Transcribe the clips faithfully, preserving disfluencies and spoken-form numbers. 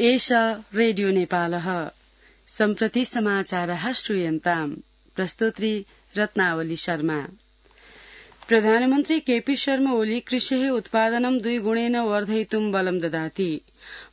एषा रेडियो नेपालः सम्प्रति समाचारः श्रूयन्ताम् प्रस्तोत्री रत्नावली शर्मा। प्रधानमन्त्री केपी शर्मा ओली कृषेः उत्पादनं द्विगुणेन वर्धयितुं बलं ददाति।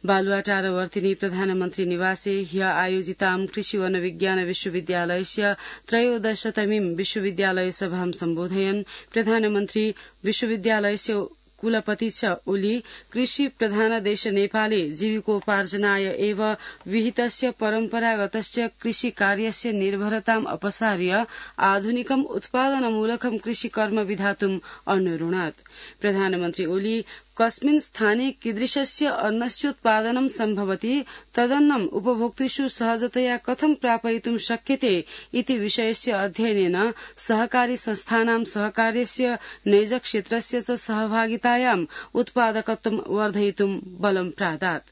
बालुवाटारवर्तिनी प्रधानमन्त्री निवासे ह्य आयोजितां कृषि वन विज्ञान विश्वविद्यालयस्य त्रयोदशतमीं विश्वविद्यालय सभां सम्बोधयन् प्रधानमन्त्री विश्वविद्यालयस्य कुलपति च ओली कृषि प्रधान देश नेपाले जीविकोपार्जनाय एव विहितस्य परम्परागतस्य कृषि कार्यस्य निर्भरताम् अपसार्य आधुनिकम् उत्पादनमूलकं कृषिकर्म विधातुम् अनुरुणत्। प्रधानमन्त्री ओली कस्मिन् स्थाने कीदृशस्य अन्नस्योत्पादनं सम्भवति तदन्नम् उपभोक्तृषु सहजतया कथं प्रापयितुं शक्यते इति विषयस्य अध्ययनेन सहकारी संस्थानां सहकार्यस्य नैजक्षेत्रस्य च सहभागितायाम् उत्पादकत्वं वर्धयितुं बलं प्रादात्।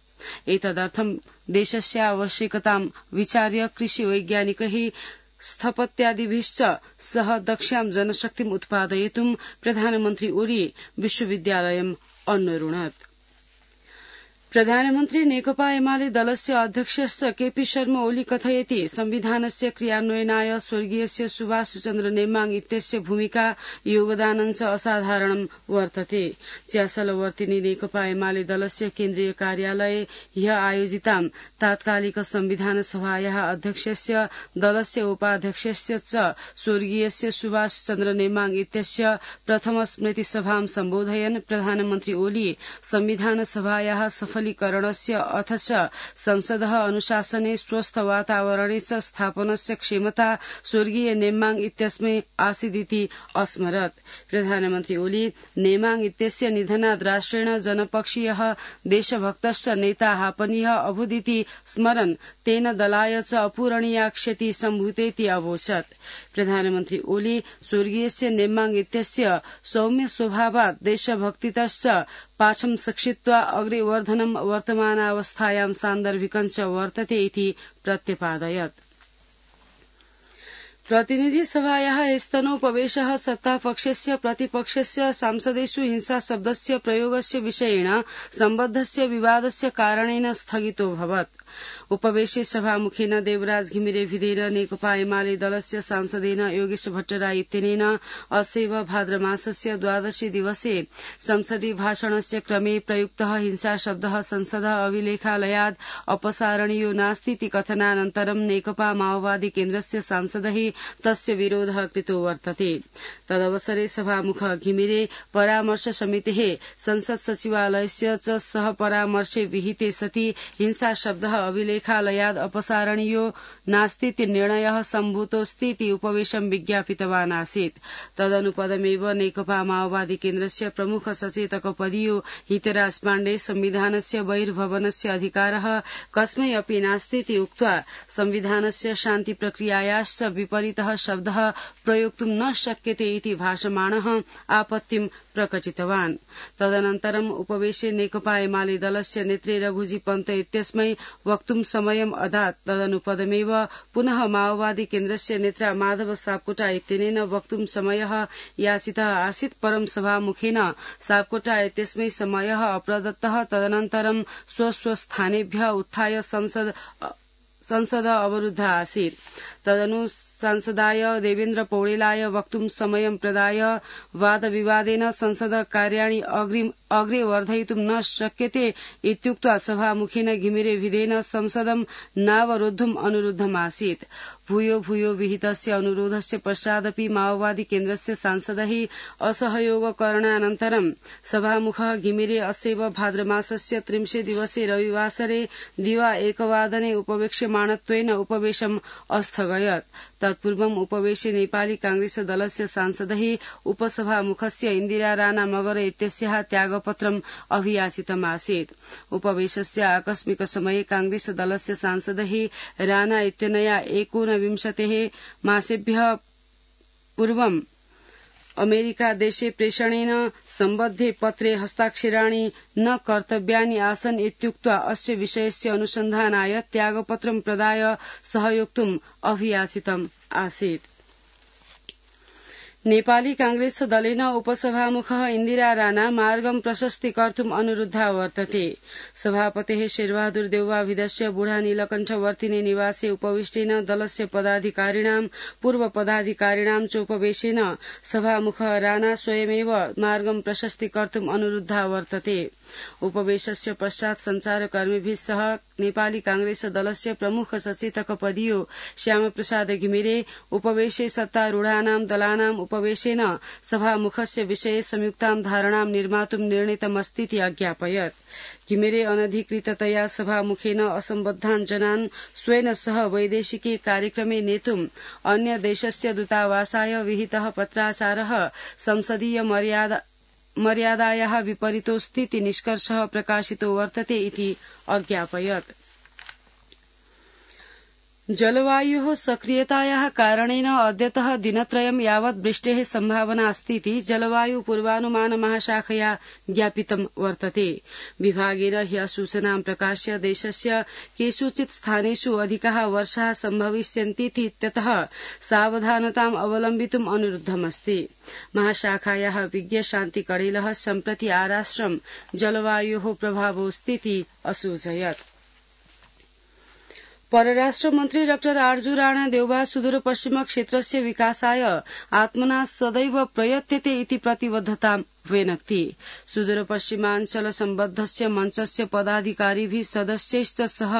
एतदर्थं देशस्य आवश्यकतां विचार्य कृषि वैज्ञानिकैः स्थपत्यादिभिश्च सह दक्ष्यां जनशक्तिम् उत्पादयितुं प्रधानमन्त्री ओली विश्वविद्यालयम् अन्नरुणत्। प्रधानमन्त्री नेकपा एमाले दलस्य अध्यक्षस्य केपी शर्मा ओली कथयति संविधानस्य क्रियान्वयनाय स्वर्गीयस्य सुभाष चन्द्र नेमाङ इत्यस्य भूमिका योगदानं च असाधारणं वर्तते। च्यासलवर्तिनी नेकपा एमाले दलस्य केन्द्रीय कार्यालये ह्य आयोजितां तात्कालिक संविधान सभायाः अध्यक्षस्य दलस्य उपाध्यक्षस्य च स्वर्गीयस्य सुभाष चन्द्र नेमाङ इत्यस्य प्रथम स्मृति सभां सम्बोधयन् प्रधानमन्त्री ओली संविधान सभायाः सफलीकरणस्य अथ च संसदः अनुशासने स्वस्थ वातावरणे च स्थापनस्य क्षमता स्वर्गीय नेमाङ इत्यस्मै आसीदिति अस्मरत्। प्रधानमन्त्री ओली नेमाङ इत्यस्य निधनात् राष्ट्रेण जनपक्षीयः देशभक्तश्च नेता आपनीयः अभूदिति स्मरन् तेन दलाय च अपूरणीया क्षति सम्भूतेति अवोचत्। प्रधानमन्त्री ओली स्वर्गीयस्य नेमाङ इत्यस्य सौम्य स्वभावात् देशभक्तितश्च पाठं शिक्षित्वा अग्रे वर्धनं वर्तमानावस्थायां सान्दर्भिकं च वर्तते इति प्रत्यपादयत्। प्रतिनिधि सभायाः स्तनोपवेशः सत्तापक्षस्य प्रतिपक्षस्य सांसदेषु हिंसा शब्दस्य प्रयोगस्य विषयेण सम्बद्धस्य विवादस्य कारणेन स्थगितोऽभवत्। उपवेशे सभामुखेन देवराज घिमिरे भिदेर नेकपा एमाले दलस्य सांसदेन योगेश भट्टराई इत्यनेन असैव भाद्रमासस्य द्वादशे दिवसे संसदीय भाषणस्य क्रमे प्रयुक्तः हिंसा शब्दः संसदः अभिलेखालयाद् अपसारणीयो नास्तीति कथनानन्तरं नेकपा माओवादी केन्द्रस्य सांसदैः तस्य विरोधः कृतो वर्तते। तदवसरे सभामुख घिमिरे परामर्श समितेः संसद सचिवालयस्य च सह परामर्शे विहिते सति हिंसा शब्दः अभिलेखालयाद् अपसारणीयो नास्तीति निर्णयः सम्भूतोऽस्तीति उपवेशं विज्ञापितवान् आसीत्। तदनुपदमेव नेकपा माओवादी केन्द्रस्य प्रमुख सचेतक पदीयो हितराज पाण्डे संविधानस्य बहिर्भवनस्य अधिकारः कस्मै अपि नास्तीति उक्त्वा संविधानस्य शान्ति प्रक्रियायाश्च विपरीतः शब्दः प्रयोक्तुं न शक्यते इति भाषमाणः आपत्तिं प्रकटितवान्। तदनन्तरम् उपवेशे नेकपा एमाले दलस्य नेत्री रघुजी पन्त इत्यस्मै वक्तुं समयम् अदात्। तदनुपदमेव पुनः माओवादी केन्द्रस्य नेत्रा माधव सापकोटा इत्यनेन वक्तुं समयः याचितः आसीत्, परं सभामुखेन सापकोटा इत्यस्मै समयः अप्रदत्तः। तदनन्तरं स्वस्वस्थानेभ्यः उत्थाय संसद संसद अवरुद्धा आसीत्। तदनु सांसदाय देवेन्द्र पौडेलाय वक्तुं समयं प्रदाय वादविवादेन संसद कार्याणि अग्रे वर्धयितुं न शक्यते इत्युक्त्वा सभामुखेन घिमिरे भिदेन संसदं नावरोद्धुम् अनुरुद्धमासीत्। भूयो भूयो विहितस्य अनुरोधस्य पश्चादपि माओवादी केन्द्रस्य सांसदैः असहयोगकरणानन्तरं सभामुखः घिमिरे अस्यैव भाद्रमासस्य त्रिंशे दिवसे रविवासरे दिवा एकवादने उपवेक्ष्यमाणत्वेन उपवेशम् अस्थगयत्। तत्पूर्वम् उपवेशे नेपाली कांग्रेस दलस्य सांसदैः उपसभामुखस्य इन्दिरा राणा मगर इत्यस्याः त्यागपत्रम् अभियाचितमासीत्। उपवेशस्य आकस्मिक समये कांग्रेस दलस्य सांसदैः राणा इत्यनया एकोनविंशतेः मासेभ्यः पूर्वम् अमेरिका देशे प्रेषणेन सम्बद्धे पत्रे हस्ताक्षराणि न कर्तव्यानि आसन् इत्युक्त्वा अस्य विषयस्य अनुसन्धानाय त्यागपत्रं प्रदाय सहयोक्तुम् अभियाचितम् आसीत्। नेपाली कांग्रेस दलेन उपसभामुखः इन्दिरा राणा मार्गं प्रशस्तीकर्तुम् अनुरुद्धा वर्तते। सभापतेः शेरबहादुर देउवाभिधस्य बुढा नीलकण्ठवर्तिने निवासे उपविष्टेन दलस्य पदाधिकारिणां पूर्व पदाधिकारिणां चोपवेशेन सभामुखः राणा स्वयमेव मार्गं प्रशस्तीकर्तुम् अनुरुद्धा वर्तते। उपवेशस्य पश्चात् संचारकर्मिभिः सह नेपाली कांग्रेस दलस्य प्रमुख सचेतक पदीयो श्यामप्रसाद घिमिरे उपवेशे सत्तारूढानां दलानाम् उपवेशेन सभामुखस्य विषये संयुक्तां धारणां निर्मातुं निर्णीतमस्तीति अज्ञापयत्। घिमिरे अनधिकृततया सभामुखेन असम्बद्धान् जनान् स्वेन सह वैदेशिके कार्यक्रमे नेतुम् अन्य देशस्य दूतावासाय विहितः पत्राचारः संसदीय मर्यादा मर्यादायाः विपरीतोऽस्तीति निष्कर्षः प्रकाशितो वर्तते इति अज्ञापयत्। जलवायोः सक्रियतायाः कारणेन अद्यतः दिनत्रयं यावत् वृष्टेः सम्भावना अस्तीति जलवायु पूर्वानुमान महाशाखया ज्ञापितं वर्तते। विभागेन ह्यः सूचनां प्रकाश्य देशस्य केषुचित् स्थानेषु अधिकाः वर्षाः सम्भविष्यन्तीति इत्यतः सावधानताम् अवलम्बितुम् अनुरुद्धमस्ति। महाशाखायाः विज्ञ शान्ति कडेलः सम्प्रति आराष्ट्रं जलवायोः प्रभावोऽस्तीति असूचयत्। परराष्ट्र मन्त्री डाक्टर आर्जू राणा देउवा सुदूर पश्चिम क्षेत्रस्य विकासाय आत्मना सदैव प्रयत्यते इति प्रतिबद्धतां व्यनक्ति। सुदूर पश्चिमाञ्चल सम्बद्धस्य मञ्चस्य पदाधिकारिभिः सदस्यैश्च सह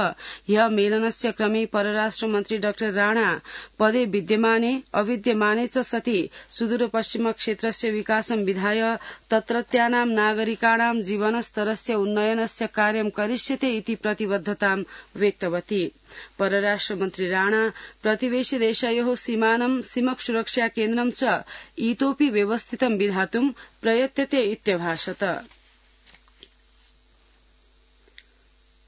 ह्यः मेलनस्य क्रमे परराष्ट्र मन्त्री डाक्टर राणा पदे विद्यमाने अविद्यमाने च सति सुदूर पश्चिम क्षेत्रस्य विकासं विधाय तत्रत्यानां नागरिकाणां जीवनस्तरस्य उन्नयनस्य कार्यं करिष्यते इति प्रतिबद्धतां व्यक्तवती। परराष्ट्र मन्त्री राणा प्रतिवेशि देशयोः सीमानं सीमक सुरक्षा केन्द्रं च इतोपि व्यवस्थितं विधातुं प्रयत्यते इत्यभाषत।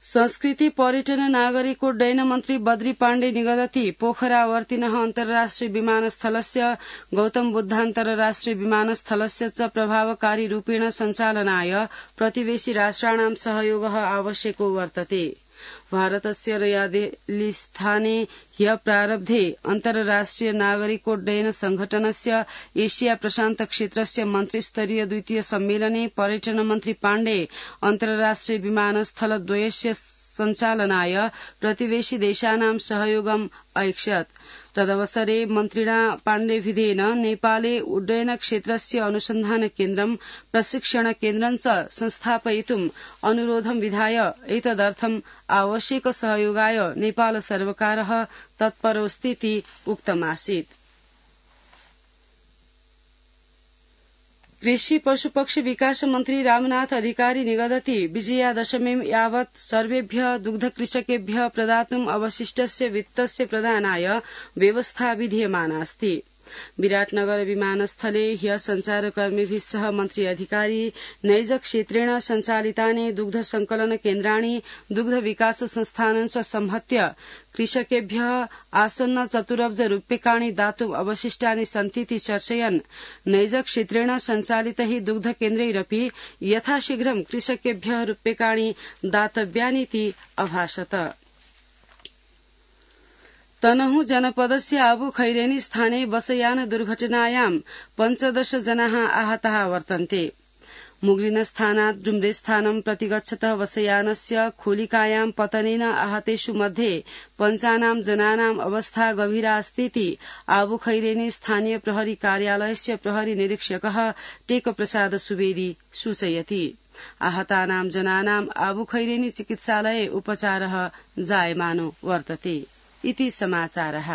संस्कृति पर्यटन नागरिकोड्डयन मन्त्री बद्री पाण्डे निगदति पोखरावर्तिनः अन्तर्राष्ट्रिय विमानस्थलस्य गौतम बुद्धान्तर्राष्ट्रिय विमानस्थलस्य च प्रभावकारी रूपेण सञ्चालनाय प्रतिवेशि राष्ट्राणां सहयोगः आवश्यको वर्तते। भारतस्य नयादिल्लीस्थाने ह्यः प्रारब्धे अन्तर्राष्ट्रिय नागरिकोड्डयन संघटनस्य एशिया प्रशान्त क्षेत्रस्य मन्त्रिस्तरीय द्वितीय सम्मेलने पर्यटन मन्त्री पाण्डे अन्तर्राष्ट्रिय विमानस्थलद्वयस्य सञ्चालनाय प्रतिवेशि देशानां सहयोगम् ऐक्षत्। तदवसरे मन्त्रिणा पाण्डेभिधेन नेपाले उड्डयन क्षेत्रस्य अनुसन्धान केन्द्रं प्रशिक्षण केन्द्रं च संस्थापयितुम् अनुरोधं विधाय एतदर्थम् आवश्यक सहयोगाय नेपाल सर्वकारः तत्परोऽस्तीति उक्तमासीत्। कृषि पशुपक्षी विकास मन्त्री रामनाथ अधिकारी निगदति विजयादशमीं यावत् सर्वेभ्यः दुग्धकृषकेभ्यः प्रदातुम् अवशिष्टस्य वित्तस्य प्रदानाय व्यवस्था विधीयमाना अस्ति। विराटनगर विमानस्थले ह्यः सञ्चारकर्मिभिः सह मन्त्री अधिकारी नैज क्षेत्रेण सञ्चालितानि दुग्ध संकलन केन्द्राणि दुग्ध विकास संस्थानं च संहत्य कृषकेभ्यः आसन्न चतुरब्ज रूप्यकाणि दातुम् अवशिष्टानि सन्तीति चर्चयन् नैज क्षेत्रेण सञ्चालितैः दुग्ध केन्द्रैरपि यथाशीघ्रं कृषकेभ्यः रूप्यकाणि दातव्यानीति अभाषत। तनहु जनपदस्य आबु खैरेनी स्थाने बसयान दुर्घटनायां पञ्चदश जनाः आहताः वर्तन्ते। मुगलिनस्थानात् डुम्रेस्थानं प्रति गच्छतः बसयानस्य खोलिकायां पतनेन आहतेषु मध्ये पञ्चानां जनानाम् अवस्था गभीरा अस्तीति आबु खैरेनी स्थानीय प्रहरी कार्यालयस्य प्रहरी निरीक्षकः टेकप्रसाद सुवेदी सूचयति। आहतानां जनानाम् आबु खैरेनी चिकित्सालये उपचारः जायमानो वर्तते इति समाचारः।